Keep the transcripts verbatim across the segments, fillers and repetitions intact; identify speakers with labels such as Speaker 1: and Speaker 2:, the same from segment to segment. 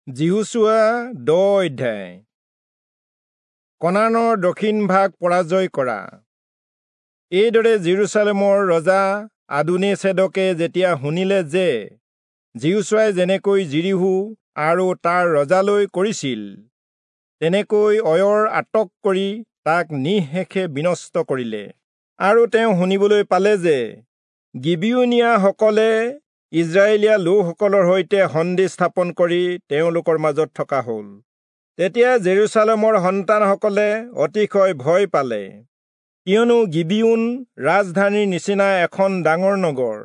Speaker 1: যিহোচূৱা দহ অধ্যায়। কনানৰ দক্ষিণ ভাগ পৰাজয় কৰা। এইদৰে যিৰূচালেমৰ ৰজা আদোনীচেদকে যেতিয়া শুনিলে যে যিহোচূৱাই যেনেকৈ যিৰীহো আৰু তাৰ ৰজালৈ কৰিছিল, তেনেকৈ অয়ৰ আটক কৰি তাক নিঃশেষে বিনষ্ট কৰিলে, আৰু তেওঁ শুনিবলৈ পালে যে গিবিয়োনীয়াসকলে ইস্ৰায়েলীয়া লোকসকলৰ সৈতে সন্ধি স্থাপন কৰি তেওঁলোকৰ মাজত থকা হ'ল, তেতিয়া জেৰুচালেমৰ সন্তানসকলে অতিশয় ভয় পালে, কিয়নো গিবিয়োন ৰাজধানীৰ নিচিনা এখন ডাঙৰ নগৰ,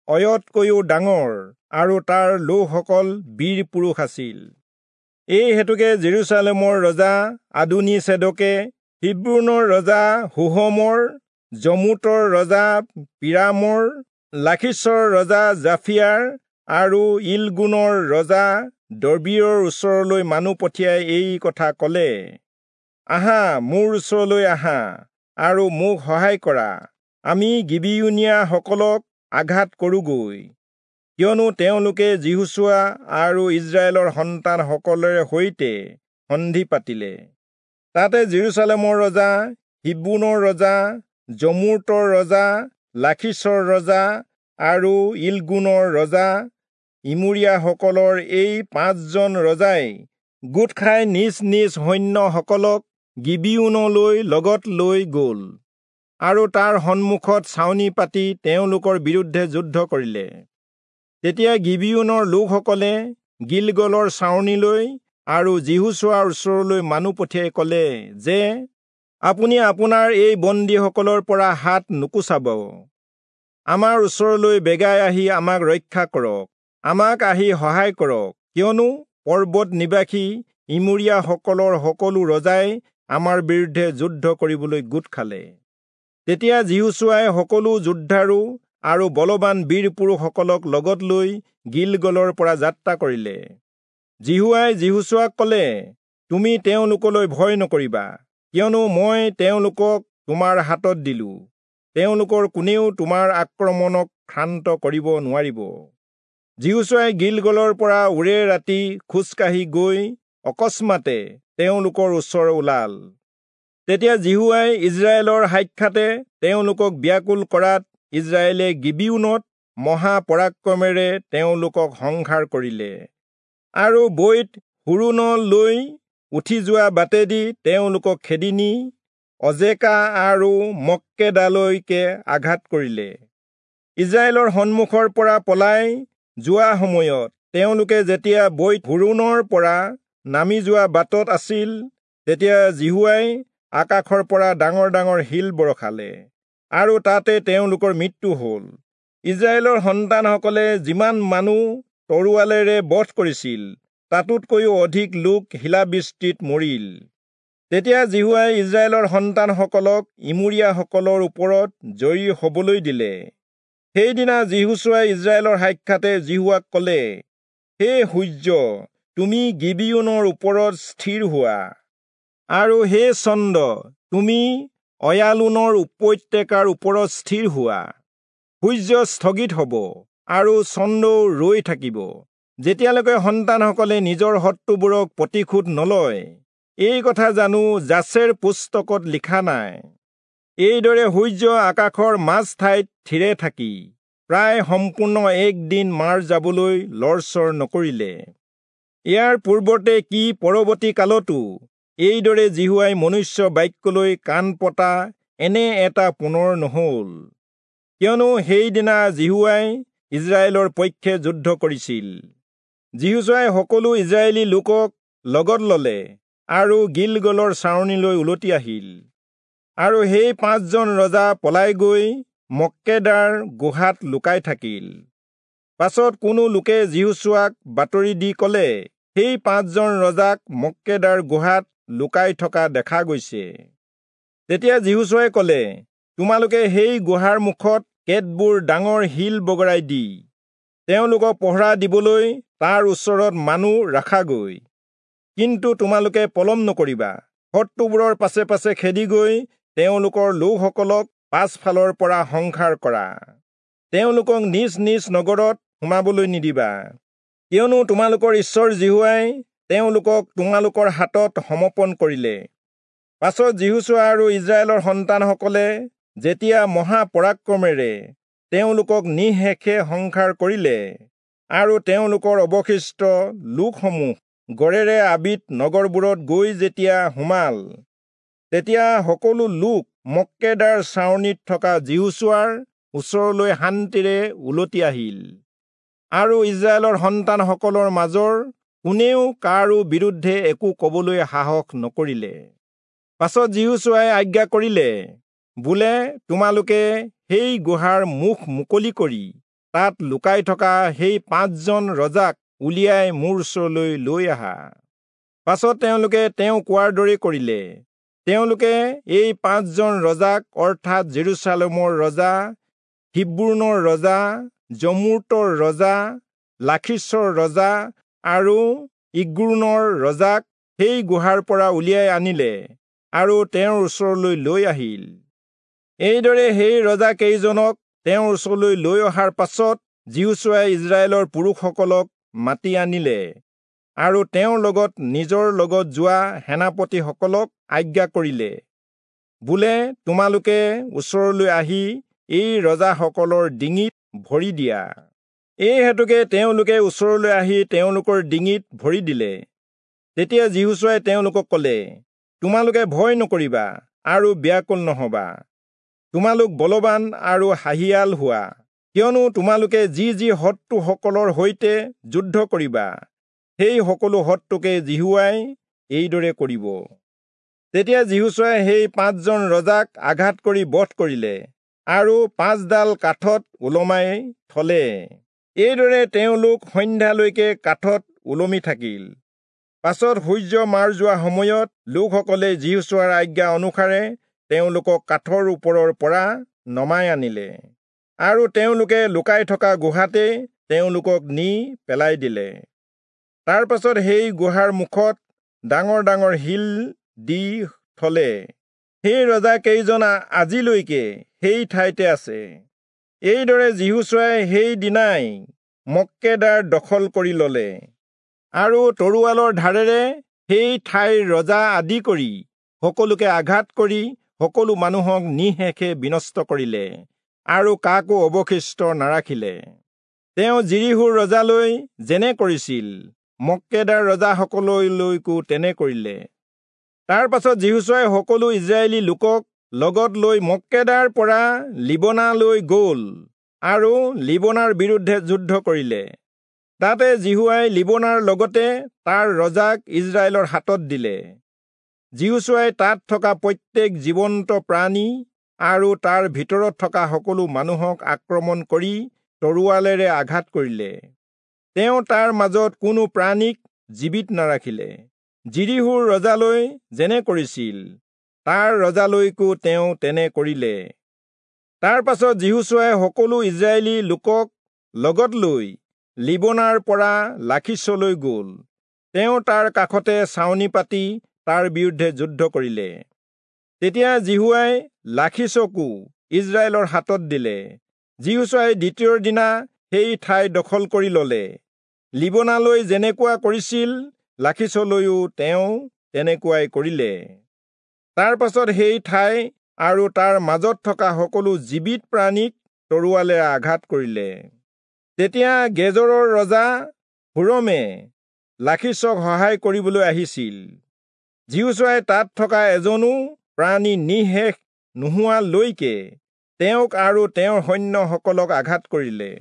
Speaker 1: অয়তকৈও ডাঙৰ, আৰু তাৰ লোকসকল বীৰ পুৰুষ আছিল। এই হেতুকে জেৰুচালেমৰ ৰজা আদোনীচেদকে হিব্ৰোনৰ ৰজা হোহমৰ, যমূতৰ ৰজা পিৰামৰ, লাখীচৰ ৰজা জাফিয়াৰ আৰু ইলগোনৰ ৰজা দবীৰৰ ওচৰলৈ মানুহ পঠিয়াই এই কথা কলে, আহা, মোৰ ওচৰলৈ আহা আৰু মোক সহায় কৰা, আমি গিবিয়োনীয়াসকলক আঘাত কৰোঁগৈ, কিয়নো তেওঁলোকে যিহোচূৱা আৰু ইস্ৰায়েলৰ সন্তানসকলৰে সৈতে সন্ধি পাতিলে। তাতে জেৰুচালেমৰ ৰজা, হিব্ৰোনৰ ৰজা, যমূতৰ ৰজা, লাখীচৰ ৰজা আৰু ইলগোনৰ ৰজা ইমোৰীয়াসকলৰ এই পাঁচজন ৰজাই গোট খাই নিজ নিজ সৈন্যসকলক গিবিয়োনলৈ লগত লৈ গ'ল আৰু তাৰ সন্মুখত ছাউনি পাতি তেওঁলোকৰ বিৰুদ্ধে যুদ্ধ কৰিলে। তেতিয়া গিবিয়োনৰ লোকসকলে গিলগলৰ ছাউনিলৈ আৰু যিহোচূৱাৰ ওচৰলৈ মানুহ পঠিয়াই ক'লে যে, আপুনি আপোনাৰ এই বন্দীসকলৰ পৰা হাত নুকুচাব, আমাৰ ওচৰলৈ বেগাই আহি আমাক ৰক্ষা কৰক, আমাক আহি সহায় কৰক, কিয়নো পৰ্বত নিবাসী ইমোৰীয়াসকলৰ সকলো ৰজাই আমাৰ বিৰুদ্ধে যুদ্ধ কৰিবলৈ গোট খালে। তেতিয়া যিহোচূৱাই সকলো যোদ্ধাৰু আৰু বলৱান বীৰ পুৰুষসকলক লগত লৈ গিলগলৰ পৰা যাত্ৰা কৰিলে। যিহোৱাই যিহোচূৱাক ক'লে, তুমি তেওঁলোকলৈ ভয় নকৰিবা, কিয়নো মই তেওঁলোকক তোমাৰ হাতত দিলো, তেওঁলোকৰ কোনেও তোমাৰ আক্ৰমণক ক্ষান্ত কৰিব নোৱাৰিব। যিহোচূৱাই গিলগলৰ পৰা ওৰে ৰাতি খোজকাঢ়ি গৈ অকস্মাতে তেওঁলোকৰ ওচৰ ওলাল। তেতিয়া যিহোৱাই ইস্ৰায়েলৰ সাক্ষাতে তেওঁলোকক ব্যাকুল কৰাত ইস্ৰায়েলে গিবিয়োনত মহাপৰাক্ৰমেৰে তেওঁলোকক সংহাৰ কৰিলে আৰু বৈৎ হোৰোণলৈ উঠি যোৱা বাটেদি তেওঁলোকক খেদি নি অজেকা আৰু মক্কেদালৈকে আঘাত কৰিলে। ইস্ৰায়েলৰ সন্মুখৰ পৰা পলাই যোৱা সময়ত তেওঁলোকে যেতিয়া বৈৎ হোৰোণৰ পৰা নামি যোৱা বাটত আছিল, তেতিয়া যিহোৱাই আকাশৰ পৰা ডাঙৰ ডাঙৰ শিল বৰষালে আৰু তাতে তেওঁলোকৰ মৃত্যু হ'ল। ইস্ৰায়েলৰ সন্তানসকলে যিমান মানুহ তৰোৱালেৰে বধ কৰিছিল, তাতোতকৈও অধিক লোক শিলাবৃষ্টিত মৰিল। তেতিয়া যিহোৱাই ইস্ৰায়েলৰ সন্তানসকলক ইমোৰীয়াসকলৰ ওপৰত জয়ী হবলৈ দিলে। সেইদিনা যিহোচূৱাই ইস্ৰায়েলৰ সাক্ষাতে যিহোৱাক ক'লে, হে সূৰ্য, তুমি গিবিয়োনৰ ওপৰত স্থিৰ হোৱা, আৰু হে চন্দ্ৰ, তুমি অয়ালোনৰ উপত্যকাৰ ওপৰত স্থিৰ হোৱা। সূৰ্য স্থগিত হ'ব আৰু চন্দ্ৰও ৰৈ থাকিব, যেতিয়ালৈকে সন্তানসকলে নিজৰ শত্ৰুবোৰক প্ৰতিশোধ নলয়। এই কথা জানো যাচেৰ পুস্তকত লিখা নাই? এইদৰে সূৰ্য আকাশৰ মাজ ঠাইত থিৰে থাকি প্ৰায় সম্পূৰ্ণ এক দিন মাৰ যাবলৈ লৰচৰ নকৰিলে। ইয়াৰ পূৰ্বতে কি পৰৱৰ্তী কালতো এইদৰে যিহোৱাই মনুষ্য বাক্যলৈ কাণ পতা এনে এটা পুনৰ নহল, কিয়নো সেইদিনা যিহোৱাই ইস্ৰায়েলৰ পক্ষে যুদ্ধ কৰিছিল। যিহোচূৱাই সকলো ইস্ৰায়েলী লোকক লগত ললে আৰু গিলগলৰ ছাউনিলৈ উলটি আহিল। আৰু সেই পাঁচজন ৰজা পলাই গৈ মক্কেদাৰ গুহাত লুকাই থাকিল। পাছত কোনো লোকে যিহোচূৱাক বাতৰি দি ক'লে, সেই পাঁচজন ৰজাক মক্কেদাৰ গুহাত লুকাই থকা দেখা গৈছে। তেতিয়া যিহোচূৱাই ক'লে, তোমালোকে সেই গুহাৰ মুখত কেতবোৰ ডাঙৰ শিল বগৰাই দি তেওঁলোকক পহৰা দিবলৈ তাৰ ওচৰত মানুহ ৰাখাগৈ, কিন্তু তোমালোকে পলম নকৰিবা, শত্ৰুবোৰৰ পাছে পাছে খেদি গৈ তেওঁলোকৰ লোকসকলক পাছফালৰ পৰা সংহাৰ কৰা, তেওঁলোকক নিজ নিজ নগৰত সোমাবলৈ নিদিবা। কিয়নো তোমালোকৰ ঈশ্বৰ যিহোৱাই তেওঁলোকক তোমালোকৰ হাতত সমৰ্পণ কৰিলে। পাছত যিহোচূৱা আৰু ইস্ৰায়েলৰ সন্তানসকলে যেতিয়া মহাপৰাক্ৰমেৰে তেওঁলোকক নিঃশেষে সংহাৰ কৰিলে আৰু তেওঁলোকৰ অৱশিষ্ট লোকসমূহ গড়েৰে আবিত নগৰবোৰত গৈ যেতিয়া সোমাল, তেতিয়া সকলো লোক মক্কেদাৰ ছাউনিত থকা যিহোচূৱাৰ ওচৰলৈ শান্তিৰে উলটি আহিল। আৰু ইস্ৰায়েলৰ সন্তানসকলৰ মাজৰ কোনেও কাৰো বিৰুদ্ধে একো কবলৈ সাহস নকৰিলে। পাছত যিহোচূৱাই আজ্ঞা কৰিলে, বোলে, তোমালোকে সেই গুহাৰ মুখ মুকলি কৰি তাত লুকাই থকা সেই পাঁচজন ৰজাক উলিয়াই মোৰ ওচৰলৈ লৈ আহা। পাছত তেওঁলোকে তেওঁ কোৱাৰ দৰে কৰিলে। তেওঁলোকে এই পাঁচজন ৰজাক, অৰ্থাৎ জেৰুচালেমৰ ৰজা, হিব্ৰোনৰ ৰজা, যমূৰ্তৰ ৰজা, লাখীচৰ ৰজা আৰু ইগ্ৰোনৰ ৰজাক সেই গুহাৰ পৰা উলিয়াই আনিলে আৰু তেওঁৰ ওচৰলৈ লৈ আহিল। এইদৰে সেই ৰজা কেইজনক তেওঁৰ ওচৰলৈ লৈ অহাৰ পাছত যিহোচূৱাই ইস্ৰায়েলৰ পুৰুষসকলক মাতি আনিলে আৰু তেওঁৰ লগত নিজৰ লগত যোৱা সেনাপতিসকলক আজ্ঞা কৰিলে, বোলে, তোমালোকে ওচৰলৈ আহি এই ৰজাসকলৰ ডিঙিত ভৰি দিয়া। এই হেতুকে তেওঁলোকে ওচৰলৈ আহি তেওঁলোকৰ ডিঙিত ভৰি দিলে। তেতিয়া যিহোচূৱাই তেওঁলোকক ক'লে, তোমালোকে ভয় নকৰিবা আৰু ব্যাকুল নহবা। তোমালোক বলৱান আৰু সাহিয়াল হোৱা, কিয়নো তোমালোকে যি যি শত্ৰুসকলৰ সৈতে যুদ্ধ কৰিবা, সেই সকলো শত্ৰুকে যিহোৱাই এইদৰে কৰিব। তেতিয়া যিহোচূৱাই সেই পাঁচজন ৰজাক আঘাত কৰি বধ কৰিলে আৰু পাঁচডাল কাঠত ওলমাই থলে। এইদৰে তেওঁলোক সন্ধ্যালৈকে কাঠত ওলমি থাকিল। পাছত সূৰ্য মাৰ যোৱা সময়ত লোকসকলে যিহোচূৱাৰ আজ্ঞা অনুসাৰে তেওঁলোকক কাঠৰ ওপৰৰ পৰা নমাই আনিলে আৰু তেওঁলোকে লুকাই থকা গুহাতে তেওঁলোকক নি পেলাই দিলে। তাৰ পাছত সেই গুহাৰ মুখত ডাঙৰ ডাঙৰ শিল দি থলে। সেই ৰজা কেইজন আজিলৈকে সেই ঠাইতে আছে। এইদৰে যিহোচূৱাই সেই দিনাই মক্কেদাৰ দখল কৰি ললে আৰু তৰোৱালৰ ধাৰেৰে সেই ঠাইৰ ৰজা আদি কৰি সকলোকে আঘাত কৰি সকলো মানুহক নিঃশেষে বিনষ্ট কৰিলে আৰু কাকো অৱশিষ্ট নাৰাখিলে। তেওঁ যিৰীহোৰ ৰজালৈ যেনে কৰিছিল, মক্কেদাৰ ৰজাসকললৈকো তেনে কৰিলে। তাৰ পাছত যিহোচূৱাই সকলো ইস্ৰায়েলী লোকক লগত লৈ মক্কেদাৰ পৰা লিবনালৈ গ'ল আৰু লিবনাৰ বিৰুদ্ধে যুদ্ধ কৰিলে। তাতে যিহোৱাই লিবনাৰ লগতে তাৰ ৰজাক ইস্ৰায়েলৰ হাতত দিলে। যিহোচূৱাই তাত থকা প্ৰত্যেক জীৱন্ত প্ৰাণী আৰু তাৰ ভিতৰত থকা সকলো মানুহক আক্ৰমণ কৰি তৰোৱালেৰে আঘাত কৰিলে। তেওঁ তাৰ মাজত কোনো প্ৰাণীক জীৱিত নাৰাখিলে। যিৰীহোৰ ৰজালৈ যেনে কৰিছিল, তাৰ ৰজালৈকো তেওঁ তেনে কৰিলে। তাৰ পাছত যিহোচূৱাই সকলো ইস্ৰায়েলী লোকক লগত লৈ লিবনাৰ পৰা লাখীচলৈ গ'ল। তেওঁ তাৰ কাষতে ছাউনি পাতি তাৰ বিৰুদ্ধে যুদ্ধ কৰিলে। তেতিয়া যিহোৱাই লাখীচকো ইস্ৰায়েলৰ হাতত দিলে। যিহোচূৱাই দ্বিতীয় দিনা সেই ঠাই দখল কৰি ললে। লিবনালৈ যেনেকুৱা কৰিছিল, লাখীচলৈও তেওঁ তেনেকুৱাই কৰিলে। তাৰ পাছত সেই ঠাই আৰু তাৰ মাজত থকা সকলো জীৱিত প্ৰাণীক তৰোৱালেৰে আঘাত কৰিলে। তেতিয়া গেজৰৰ ৰজা হোৰমে লাখীচক সহায় কৰিবলৈ আহিছিল। যিহোচূৱাই তাত থকা এজনো প্ৰাণী নিঃশেষ নোহোৱালৈকে তেওঁক আৰু তেওঁৰ সৈন্যসকলক আঘাত কৰিলে।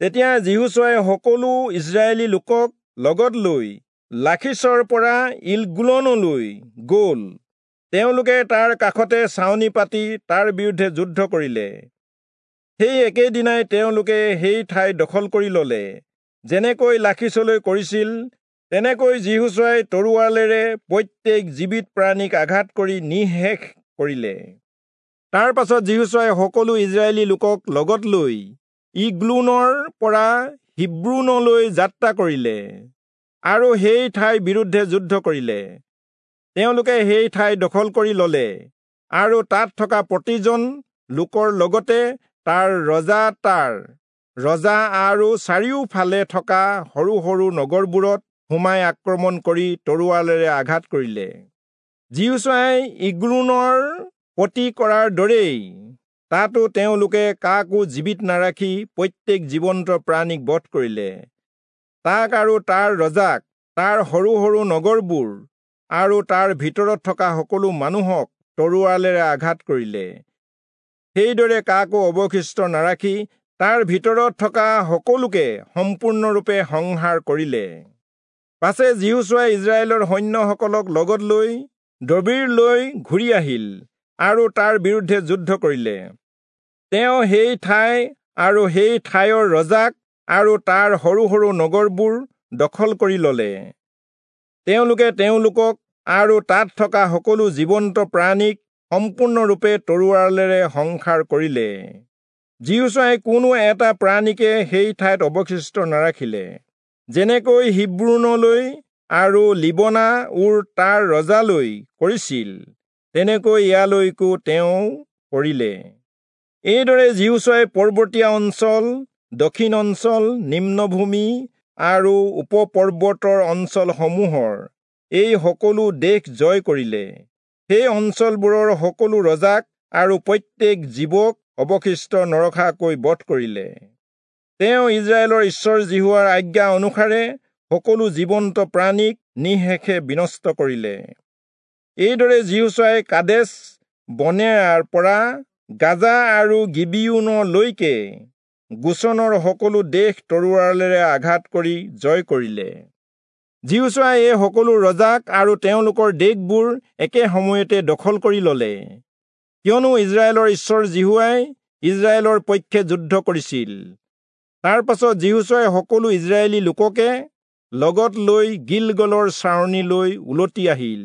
Speaker 1: তেতিয়া যিহোচূৱাই সকলো ইস্ৰায়েলী লোকক লগত লৈ লাখীচৰ পৰা ইলগুলনলৈ গ'ল। তেওঁলোকে তাৰ কাষতে ছাউনি পাতি তাৰ বিৰুদ্ধে যুদ্ধ কৰিলে। সেই একেদিনাই তেওঁলোকে সেই ঠাই দখল কৰি ললে। যেনেকৈ লাখীচলৈ কৰিছিল, তেনেকৈ যিহোচূৱাই তৰোৱালেৰে প্ৰত্যেক জীৱিত প্ৰাণীক আঘাত কৰি নিঃশেষ কৰিলে। তাৰ পাছত যিহোচূৱাই সকলো ইস্ৰায়েলী লোকক লগত লৈ ইগ্লোনৰ পৰা হিব্ৰোনলৈ যাত্ৰা কৰিলে আৰু সেই ঠাইৰ বিৰুদ্ধে যুদ্ধ কৰিলে। তেওঁলোকে সেই ঠাই দখল কৰি ললে আৰু তাত থকা প্ৰতিজন লোকৰ লগতে তাৰ ৰজা, তাৰ ৰজা আৰু চাৰিওফালে থকা সৰু সৰু নগৰবোৰত সোমাই আক্ৰমণ কৰি তৰোৱালেৰে আঘাত কৰিলে। যিহোচূৱাই ইগ্ৰোনৰ প্ৰতি কৰাৰ দৰেই তাতো তেওঁলোকে কাকো জীৱিত নাৰাখি প্ৰত্যেক জীৱন্ত প্ৰাণীক বধ কৰিলে। তাক আৰু তাৰ ৰজাক, তাৰ সৰু সৰু নগৰবোৰ আৰু তাৰ ভিতৰত থকা সকলো মানুহক তৰোৱালেৰে আঘাত কৰিলে। সেইদৰে কাকো অৱশিষ্ট নাৰাখি তাৰ ভিতৰত থকা সকলোকে সম্পূৰ্ণৰূপে সংহাৰ কৰিলে। পাছে যিহোচূৱাই ইস্ৰায়েলৰ সৈন্যসকলক লগত লৈ দবীৰলৈ ঘূৰি আহিল আৰু তাৰ বিৰুদ্ধে যুদ্ধ কৰিলে। তেওঁ সেই ঠাই আৰু সেই ঠাইৰ ৰজাক আৰু তাৰ সৰু সৰু নগৰবোৰ দখল কৰি ললে। তেওঁলোকে তেওঁলোকক আৰু তাত থকা সকলো জীৱন্ত প্ৰাণীক সম্পূৰ্ণৰূপে তৰোৱালেৰে সংহাৰ কৰিলে। যিহোচূৱাই কোনো এটা প্ৰাণীকে সেই ঠাইত অৱশিষ্ট নাৰাখিলে। যেনেকৈ হিব্ৰোনলৈ আৰু লিবনা উৰ তাৰ ৰজালৈ কৰিছিল, তেনেকৈ ইয়ালৈকো তেওঁ কৰিলে। এইদৰে যিহোচূৱাই পৰ্বতীয়া অঞ্চল, দক্ষিণ অঞ্চল, নিম্নভূমি আৰু উপপৰ্বতৰ অঞ্চলসমূহৰ এই সকলো দেশ জয় কৰিলে। সেই অঞ্চলবোৰৰ সকলো ৰজাক আৰু প্ৰত্যেক জীৱক অৱশিষ্ট নৰখাকৈ বধ কৰিলে। তেওঁ ইস্ৰায়েলৰ ঈশ্বৰ যিহোৱাৰ আজ্ঞা অনুসাৰে সকলো জীৱন্ত প্ৰাণীক নিঃশেষে বিনষ্ট কৰিলে। এইদৰে যিহোচূৱাই কাদেশ বৰ্ণেয়াৰ পৰা গাজা আৰু গিবিয়োনলৈকে গোচনৰ সকলো দেশ তৰোৱালেৰে আঘাত কৰি জয় কৰিলে। যিহোচূৱাই এই সকলো ৰজাক আৰু তেওঁলোকৰ দেশবোৰ একে সময়তে দখল কৰি ললে, কিয়নো ইস্ৰায়েলৰ ঈশ্বৰ যিহোৱাই ইস্ৰায়েলৰ পক্ষে যুদ্ধ কৰিছিল। তাৰ পাছত যিহোচূৱাই সকলো ইস্ৰায়েলী লোককে লগত লৈ গিলগলৰ ছাউনিলৈ উলটি আহিল।